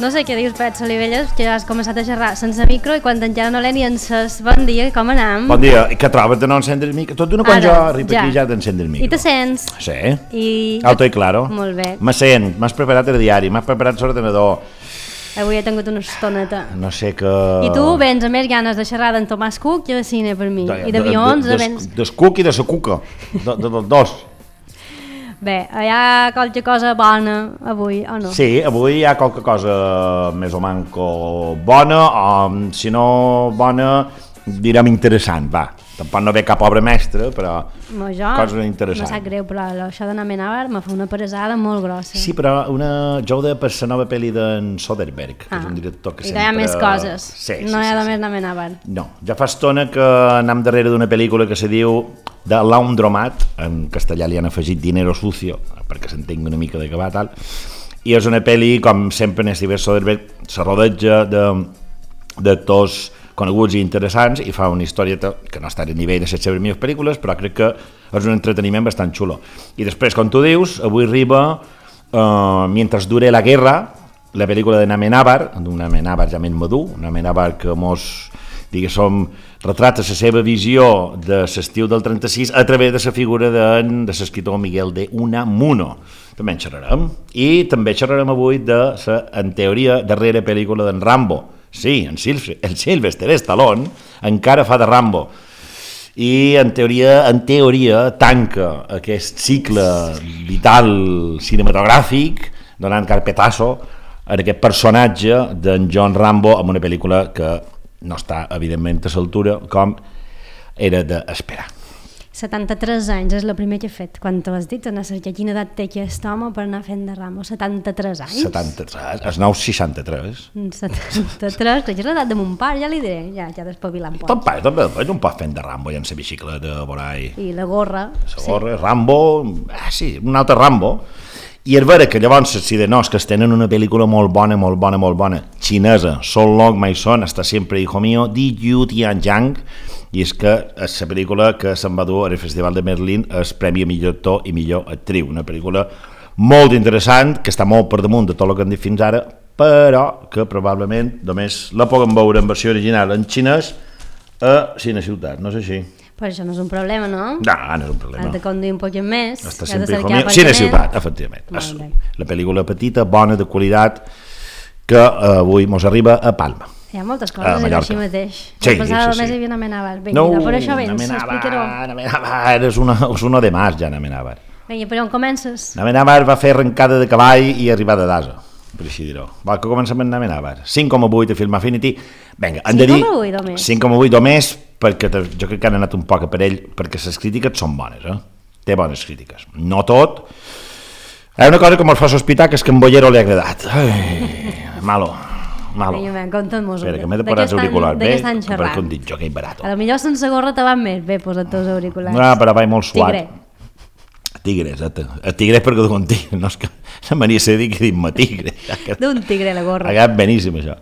No sé què dius, Pet Solivelles, que has començat a xerrar sense micro i quan encara no l'he ni encès. Bon dia, com anam? Bon dia, i què trobes de no encendre el micro? Tot d'una quan jo arribo aquí ja t'encendre el micro. I te sents? Sí, alto i claro. Molt bé. Me sent, m'has preparat el diari, m'has preparat l'ordenador. Avui he tingut una estoneta. No sé que... I tu vens a més ganes de xerrar d'en Tomàs Cook i de cine per mi. I d'avions... Des Cook i de sa Cuca, dels dos. Bé, hi ha qualque cosa bona avui, o no? Sí, avui hi ha qualque cosa més o manco bona, o si no bona, direm interessant, va. Tampoc no ve cap obra mestra, però cosa interessant. No sap greu, però això de Namenabar me fa una pesada molt grossa. Sí, però jo ho deia per la nova pel·li d'en Soderbergh, que és un director que sempre... I hi ha més coses, no hi ha més Namenabar. No, ja fa estona que anem darrere d'una pel·lícula que se diu The Laundromat, en castellà li han afegit Dinero Sucio, perquè s'entengui una mica de què va tal, i és una pel·li, com sempre en Steven Soderbergh, se rodeja d'actors coneguts i interessants i fa una historieta que no està a nivell de les seves millors pel·lícules, però crec que és un entreteniment bastant xulo. I després, com tu dius, avui arriba Mientras dure la guerra, la pel·lícula de Namenabar, d'un Namenabar ja més madur, un Namenabar que diguéssim, retrata la seva visió de l'estiu del 36 a través de la figura de l'escriptor Miguel de Unamuno. També en xerrarem. I també xerrarem avui de la, en teoria, darrera pel·lícula d'en Rambo. Sí, el Sylvester Stallone encara fa de Rambo i en teoria tanca aquest cicle vital cinematogràfic donant carpetazo a aquest personatge d'en John Rambo amb una pel·lícula que no està evidentment a l'altura com era d'esperar. 73 anys és el primer que he fet. Quan t'ho has dit, anar a cercar quina edat té aquest home per anar fent de Rambo. 73 anys? 73, els nous 63. 73, que és l'edat de mon pare, ja li diré, ja despavilant pots. Ton pare també un pot fent de Rambo i en la bicicleta por ahí. I la gorra. La gorra, sí. Rambo, sí, un altre Rambo. I és vera que llavors, si de no, és que es tenen una pel·lícula molt bona, xinesa, Sol Long Mai Son, està sempre hijo mío, Di Yu Tianjiang, i és que és la pel·lícula que se'n va dur al Festival de Berlín el Premi a millor actor i millor actriu, una pel·lícula molt interessant, que està molt per damunt de tot el que hem dit fins ara, però que probablement només la podem veure en versió original en xinès a Cine Ciutat, no és així? Però això no és un problema, no? No, no és un problema. Has de conduir un poc més. Està sempre hijo mío. Cine Ciutat, efectivament. La pel·lícula petita, bona, de qualitat, que avui mos arriba a Palma. Hi ha moltes coses així mateix. Sí, pensava només hi havia Namenabar. Vinga, per això vens, explicaró. Namenabar és uno de más, ja, Namenabar. Vinga, per on comences? Namenabar va fer arrencada de cavall i arribada d'asa, per així dir-ho. Va, que comencem amb Namenabar. 5,8 a Film Affinity. Vinga, hem de dir 5,8 o més, perquè jo crec que han anat un poc a per ell, perquè les crítiques són bones, té bones crítiques. No tot. Hi ha una cosa que m'ho fa sospitar, que és que en Bollero li ha agradat. Malo. Vinga, conta'm-nos. Espera, que m'he de posar els auriculars bé, perquè un dit jo que hi barato. A lo millor sense gorra te van més bé posar els auriculars. No, però va molt suat. Tigre, exacte. El tigre és perquè d'un tigre, no és que la mania se dir que dic-me tigre. D'un tigre la gorra. Ha quedat beníssim això.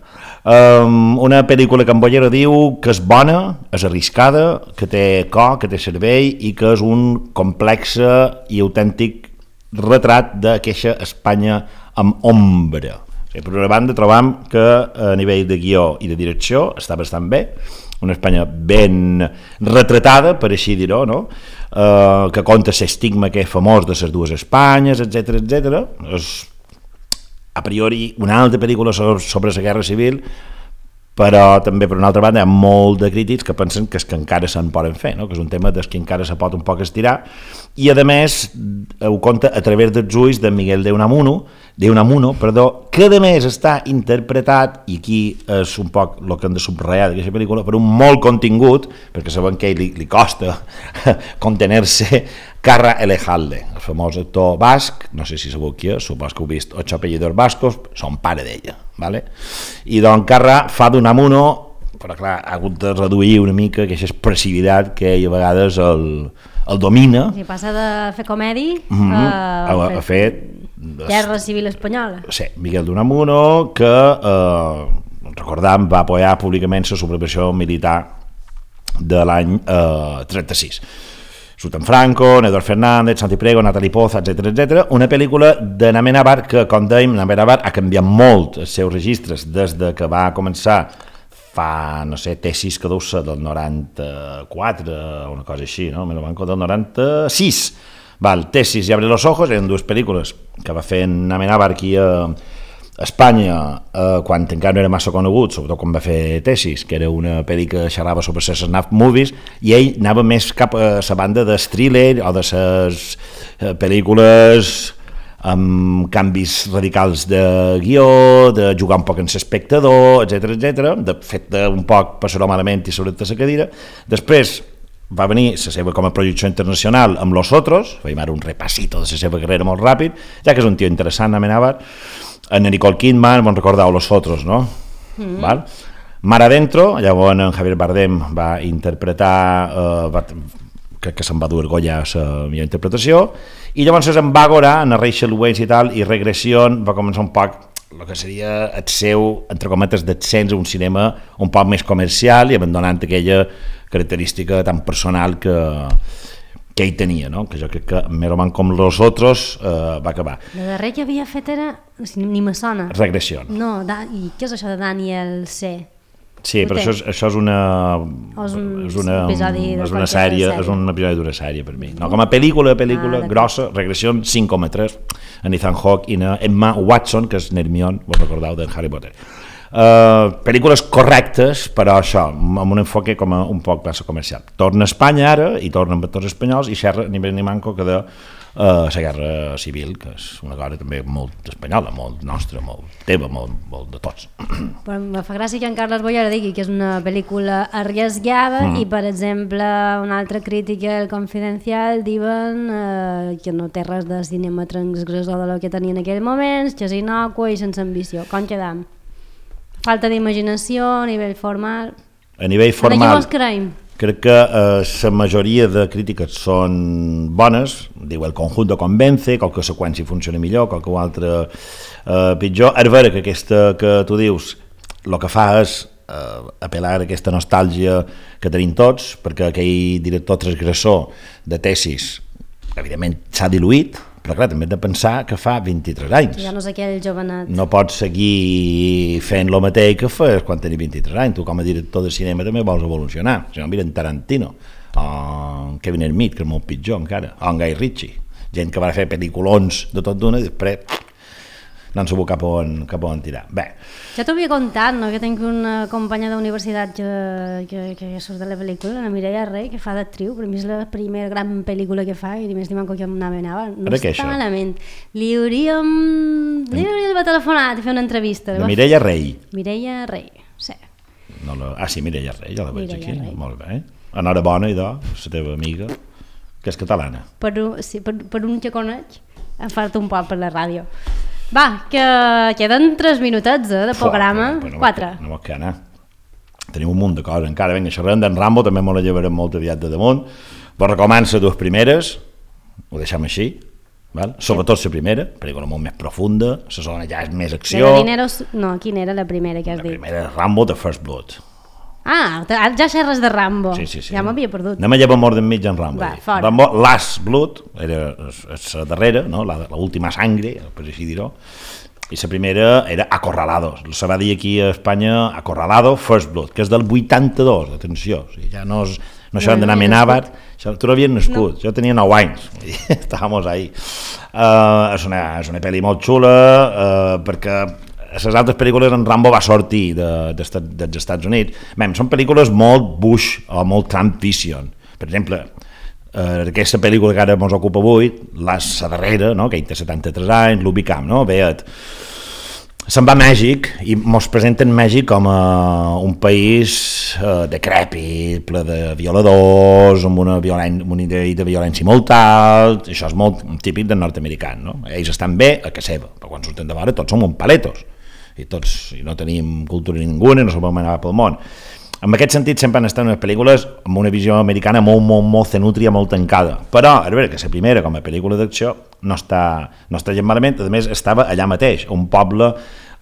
Una pel·lícula que en Bollero diu que és bona, és arriscada, que té cor, que té cervell i que és un complex i autèntic retrat d'aquesta Espanya amb ombra. Per una banda trobam que a nivell de guió i de direcció està bastant bé, una Espanya ben retratada, per així dir-ho, no? Que conta l'estigma que és famós de les dues Espanyes, etc. És a priori una altra pel·lícula sobre la Guerra Civil, però també per una altra banda hi ha molt de crítics que pensen que és que encara se'n poden fer, no? Que és un tema des que encara se pot un poc estirar, i a més ho conta a través dels ulls de Miguel de Unamuno, que a més està interpretat, i aquí és un poc el que hem de subratllar d'aquesta pel·lícula, per un molt contingut, perquè sabem que li costa contener-se, Carra Elejalde, el famós actor basc, no sé si sabeu qui és, supos que heu vist Ocho apellidos vascos, són pare d'ella, ¿vale? I doncs Carra fa d'Unamuno, però clar, ha hagut de reduir una mica aquesta expressivitat que ell a vegades el domina. Si passa de fer comèdia a fer Guerra Civil Espanyola. Sí, Miguel d'Unamuno, que recordam va apoyar públicament la sublevació militar de l'any 36. surt en Franco, Eduard Fernández, Santi Prego, Natalie Poza, etc. Una pel·lícula de Amenábar que, com dèiem, Amenábar ha canviat molt els seus registres des de que va començar fa, no sé, tesis que deu ser del 94 o una cosa així, no? Del 96. Val, Tesis i Abre los ojos eren dues pel·lícules que va fer en Amenábar aquí a Espanya quan encara no era massa conegut, sobretot quan va fer Tesis, que era una pel·li que xerrava sobre les snuff movies, i ell anava més cap a la banda de thriller o de les pel·lícules amb canvis radicals de guió, de jugar un poc en l'espectador, etc. De fet un poc passar-ho malament i sobretot a la cadira. Després va venir la seva com a projecció internacional amb Los Otros, fèiem ara un repassito de la seva carrera molt ràpid, ja que és un tio interessant, Amenábar. En Nicole Kidman, bon recordeu Los Otros, no? Val? Mar Adentro, llavors en Javier Bardem va interpretar, crec que se'n va dur Goya a la millor interpretació, i llavors en Bàgora, en Rachel Weisz i tal, i Regression va començar un poc el que seria el seu, entre cometes, descens a un cinema un poc més comercial i abandonant aquella característica tan personal que ell tenia, no? Que jo crec que més o menys com Los Otros va acabar. La darrer que havia fet era... ni me sona. Regressió. No, i què és això de Daniel C? Sí, però això és una... És un episodi és una sèrie, és un episodi d'una sèrie per mi. No, com a pel·lícula grossa, Regressió 5,3, en Ethan Hawke i Emma Watson, que és Hermione, vos recordeu, de Harry Potter. Pel·lícules correctes, però això, amb un enfoque com a un poc massa comercial. Torna a Espanya ara, i torna amb actors espanyols, i xerra ni més ni manco que de la guerra civil, que és una cosa també molt espanyola, molt nostra, molt teva, molt de tots. Però me fa gràcia que en Carles Bollera digui que és una pel·lícula arriesgada i, per exemple, una altra crítica del Confidencial diuen que no té res de cinema transgressor de lo que tenia en aquell moment, que és innocua i sense ambició. Com quedam? Falta d'imaginació a nivell formal. A nivell formal, en aquí creiem. Crec que la majoria de crítiques són bones, diu el conjunto convence, qualque seqüència funciona millor, qualque altre pitjor. És vera que aquesta que tu dius, el que fa és apel·lar a aquesta nostàlgia que tenim tots, perquè aquell director transgressor de Tesis, evidentment, s'ha diluït, però clar, també hem de pensar que fa 23 anys. Ja no és aquell jovenat. No pots seguir fent el mateix que fes quan tenies 23 anys. Tu com a director de cinema també vols evolucionar. Si no, mira en Tarantino, o en Kevin Smith, que és molt pitjor encara, o en Guy Ritchie. Gent que va fer pel·lículons de tot d'una i després no en sabut cap on tirar. Bé. Ja t'ho havia contat, no? Que tinc una companya d'universitat que surt de la pel·lícula, la Mireia Rey, que fa d'actriu, per mi és la primera gran pel·lícula que fa i més ni manco que anava. No està malament. Li hauríem d'haver telefonat i fer una entrevista. La Mireia Rey. Mireia Rey, sí. No sí, Mireia Rey, ja la veig aquí. Molt bé. Enhorabona, idò, la teva amiga, que és catalana. Per un que coneix, em falta un poc per la ràdio. Va, que queden 3 minutets de programa, 4. No vols que anar. Tenim un munt de coses encara. Vinga, xerrem d'en Rambo, també me la llevarem molt aviat de damunt. Vos recomano les dues primeres, ho deixem així, val? Sobretot la primera, pel·lícula molt més profunda, la segona ja és més acció. No, quina era la primera que has dit? La primera és Rambo, The First Blood. Ah, ja xerres de Rambo. Sí. Ja m'havia perdut. Anem a llevar mort d'enmig en Rambo. Va, fora. Rambo, Last Blood, era la darrera, no? l'última sangre, per així dir-ho, i la primera era Acorralado. Se va dir aquí a Espanya Acorralado, First Blood, que és del 82, atenció. O sigui, ja no això d'anar a Amenábar, tu no havies nascut, jo tenia 9 anys, estàvem ahí. És una pel·li molt xula, perquè a les altres pel·lícules en Rambo va sortir dels Estats Units. Són pel·lícules molt Bush o molt Trump Vision. Per exemple, aquesta pel·lícula que ara ens ocupa avui, la darrera, no? Que ell té 73 anys, l'ubicam, no? Veient. Se'n va a Mèxic i ens presenten Mèxic com un país decrèpit, ple de violadors, amb un nivell de violència molt alt. Això és molt típic del nord-americà, no? Ells estan bé a casa seva, però quan surten de fora tots som un paletos. I no tenim cultura ninguna, no sabem anar pel món. En aquest sentit sempre han estat unes pel·lícules amb una visió americana molt cenútria, molt tancada, però a veure que la primera com a pel·lícula d'acció no està gens malament. A més estava allà mateix, un poble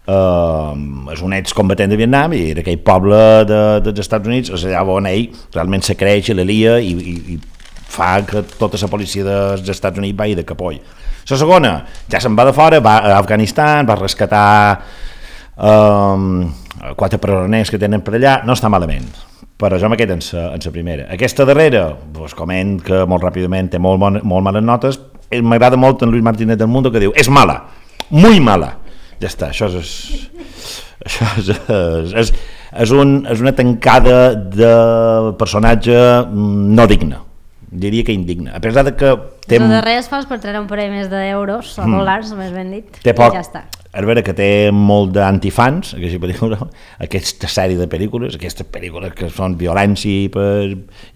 és un excombatent de Vietnam i era aquell poble dels Estats Units, és allà on ell realment se creix i la lia i fa que tota la policia dels Estats Units vagi de capoll. La segona, ja se'n va de fora, va a Afganistan, va rescatar 4 presoners que tenen per allà, no està malament, però jo me quedo en la primera. Aquesta darrera, pues, coment que molt ràpidament té molt males notes, m'agrada molt en Luis Martínez del Mundo que diu, és mala, muy mala. Ja està, això és una tancada de personatge no digne, diria que indigne, a pesar de que té... De res fas per treure un parell més d'euros o dòlars, més ben dit, té poc, i ja està. A veure que té molt d'antifans, aquesta sèrie de pel·lícules, aquestes pel·lícules que són violència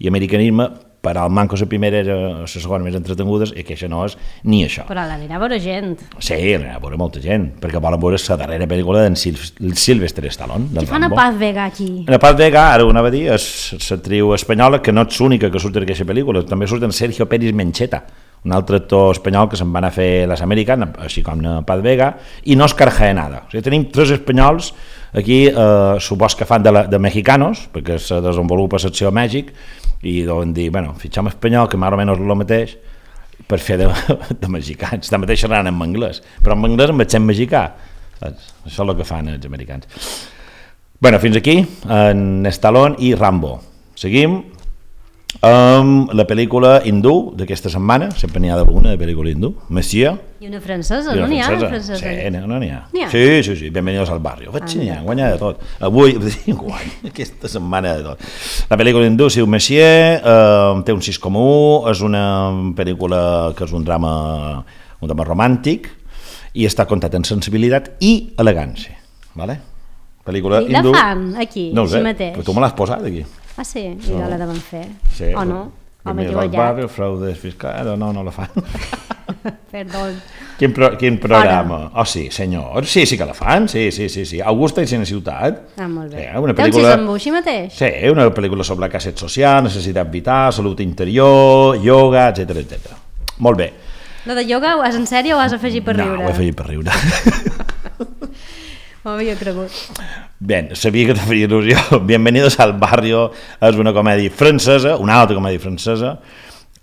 i americanisme, però el manco la primera era la segona més entretingudes i que això no és ni això. Però l'anirà a veure gent. Sí, l'anirà a veure molta gent, perquè volen veure la darrera pel·lícula d'en Sylvester Stallone. Qui fa una Paz Vega aquí? La Paz Vega, ara ho anava a dir, és l'actriu espanyola que no és l'única que surt en aquesta pel·lícula, també surt en Sergio Pérez Mencheta, un altre actor espanyol que se'n van a fer les Americanes, així com la Paz Vega, i no es Carjaenada. O sigui, tenim 3 espanyols aquí, supos que fan de mexicanos, perquè se desenvolupa l'acció a Mèxic, i deuen dir, bueno, fitxem espanyol, que més o menys el mateix, per fer de mexicans. També xerraran en anglès, però en anglès amb accent mexicà. Saps? Això és el que fan els americans. Bueno, fins aquí, en Stallone i Rambo. Seguim amb la pel·lícula hindú d'aquesta setmana, sempre n'hi ha d'una de pel·lícula hindú, Monsieur. I una francesa, no n'hi ha una francesa? Sí, no n'hi ha. Sí, Bienvenidos al barrio. N'hi ha, guanya de tot. Avui, aquesta setmana de tot. La pel·lícula hindú, si Monsieur, té un 6,1, és una pel·lícula que és un drama romàntic i està contat en sensibilitat i elegància. Vale? Pel·lícula hindú. I la fan aquí, no així mateix? Però tu me l'has posat aquí. Ah, sí? I no la deuen fer. Sí, o no? O m'he equivocat. Barrio, fraude fiscal, no la fan. Perdó. Quin programa? Oh, sí, senyor. Sí que la fan, sí. Augusta i Sena Ciutat. Ah, molt bé. Una té un 6,1 així mateix? Sí, una pel·lícula sobre la casset social, necessitat vital, salut interior, ioga, etc. Molt bé. Lo de ioga ho has en sèrio o ho has afegit per riure? No, ho he afegit per riure. M'ho havia cregut. Bé, sabia que te faria il·lusió. Bienvenidos al barrio és una comèdia francesa, una altra comèdia francesa,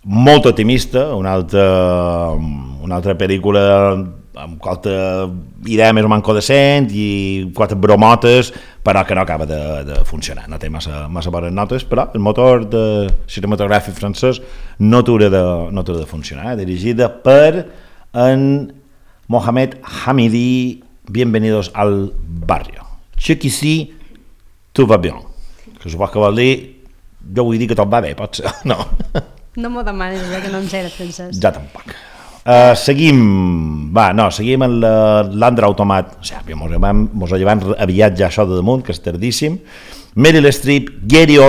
molt optimista, una altra pel·lícula amb qualque idea més o manco decent i 4 bromotes, però que no acaba de funcionar, no té massa bones notes, però el motor de cinematogràfic francès no t'haurà de funcionar, dirigida per en Mohamed Hamidi. Bienvenidos al barrio. Jusqu'ici, tout va bien. Que supos que vol dir, jo vull dir que tot va bé, pot ser, no? No m'ho demanes, que no em sé francès. Ja tampoc. Seguim en l'Andra Automat, o sigui, mos llevant aviat ja això de damunt, que és tardíssim. Meryl Streep, Gary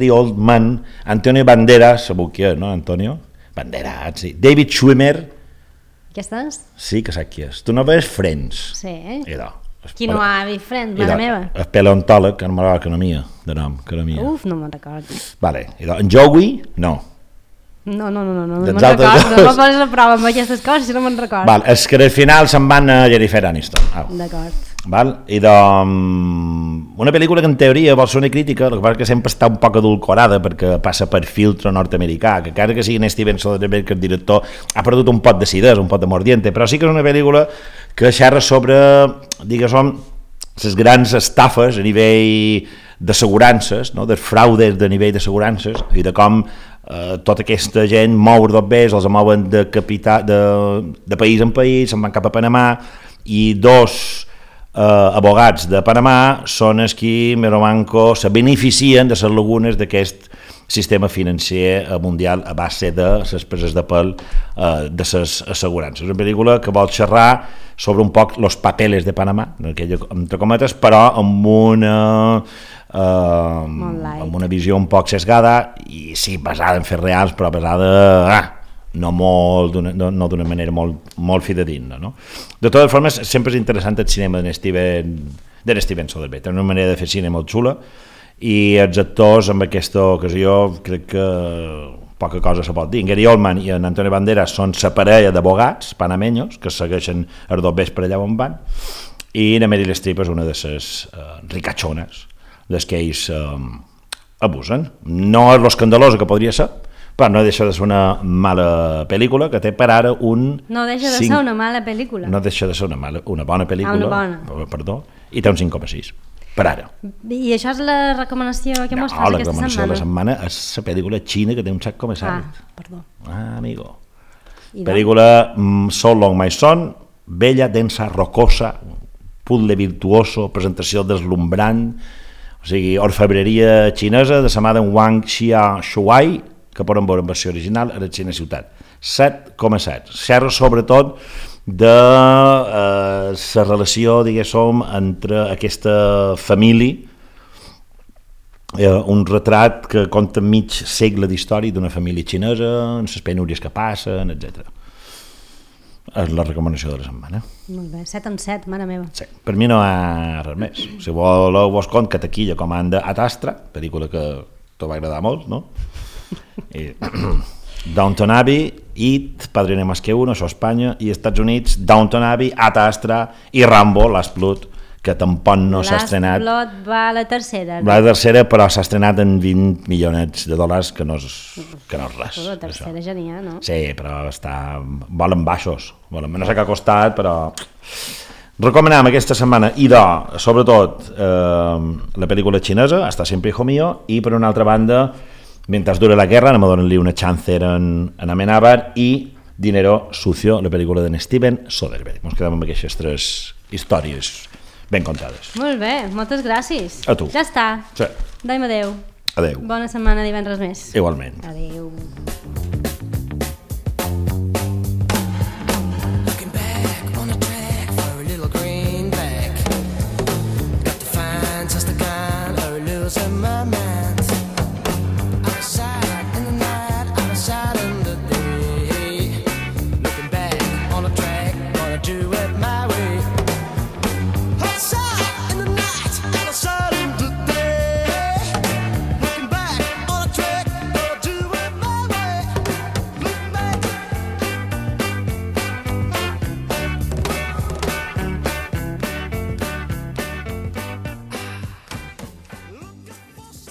Oldman, Antonio Banderas, sabeu qui és, no, Antonio? Banderas, sí. David Schwimmer. Què estàs? Sí, que sap qui és. Tu no veus Friends? Sí. Idò. Qui no ha vist Friends, mare meva? El paleontòleg, que no m'agrada economia, de nom, economia. Uf, no me'n recordo. Vale, idò. En Joey, no. No me'n recordo, no poses a prova amb aquestes coses si no me'n recordo. Val, és que al final se'n van a Jennifer Aniston. D'acord. Val? I una pel·lícula que en teoria vol ser una crítica, el que passa que sempre està un poc adulcorada perquè passa per filtro nord-americà, que encara que sigui Steven Soderbergh, que el director ha perdut un pot d'acidesa, un pot de mordiente, però sí que és una pel·lícula que xerra sobre, diguéssim, les grans estafes a nivell d'assegurances, no? Dels fraudes de nivell d'assegurances i de com tota aquesta gent mou dos bes, els mouen de país en país, se'n van cap a Panamà i 2 abogats de Panamà són els qui Meromanco se beneficien de les lagunes d'aquest sistema financer mundial a base de les preses de pèl de les assegurances. És una pel·lícula que vol xerrar sobre un poc los papeles de Panamà, entre cometes, però amb una visió un poc sesgada i sí, basada en fets reals, però basada no d'una manera molt fidedigna, no? De totes formes, sempre és interessant el cinema de Steven Soderbergh, té una manera de fer cine molt xula i els actors en aquesta ocasió crec que poca cosa se pot dir. En Gary Oldman i en Antonio Banderas són la parella d'abogats panameños que segueixen els dos bes per allà on van i la Meryl Streep és una de les ricatxones des que ells abusen. No és l'escandalosa que podria ser, però no deixa de ser una mala pel·lícula que té per ara un... No deixa de ser una mala pel·lícula. No deixa de ser una bona pel·lícula, una bona. Perdó, i té un 5,6 per ara. I això és la recomanació que mos fas aquesta setmana? No, la recomanació de la setmana és la pel·lícula xina que té un 7,7. Perdó. Amigo. Pel·lícula So Long My Son, bella, densa, rocosa, puzzle virtuoso, presentació deslumbrant, o sigui, orfebreria xinesa de la mà d'en Wang Xia-Shuai, que poden veure en versió original a la Xina Ciutat. 7,7. Xerra sobretot de la relació, diguéssim, entre aquesta família, un retrat que conta mig segle d'història d'una família xinesa, en les penúries que passen, etc. És la recomanació de la setmana. Molt bé, 7 en 7, mare meva. Sí. Per mi no hi ha res més. Si voleu vos cont que taquilla comanda Ad Astra, pel·lícula que t'ho va agradar molt, no? I Downton Abbey, It, Padrino Más que Uno, això a Espanya, i Estats Units, Downton Abbey, Ad Astra i Rambo, Last Blood, que tampoc no s'ha estrenat. Last Blood va a la tercera. Va a la tercera, però s'ha estrenat en $20 milions que no és res. La tercera això. Ja n'hi ha, no? Sí, però volen baixos. No sé què ha costat, però... Recomanem aquesta setmana, sobretot, la pel·lícula xinesa, Hasta siempre hijo mío, i per una altra banda, Mientras dure la guerra, anem a donar-li una chance en Amenábar, i Dinero sucio, la pel·lícula d'en Steven Soderbergh. Ens quedem amb aquestes 3 històries ben contades. Molt bé, moltes gràcies. A tu. Ja està. Sí. Daim adeu. Adeu. Bona setmana, divendres més. Igualment. Adeu. Looking back on the track for a little greenback. Got to find just the kind of losing my mind.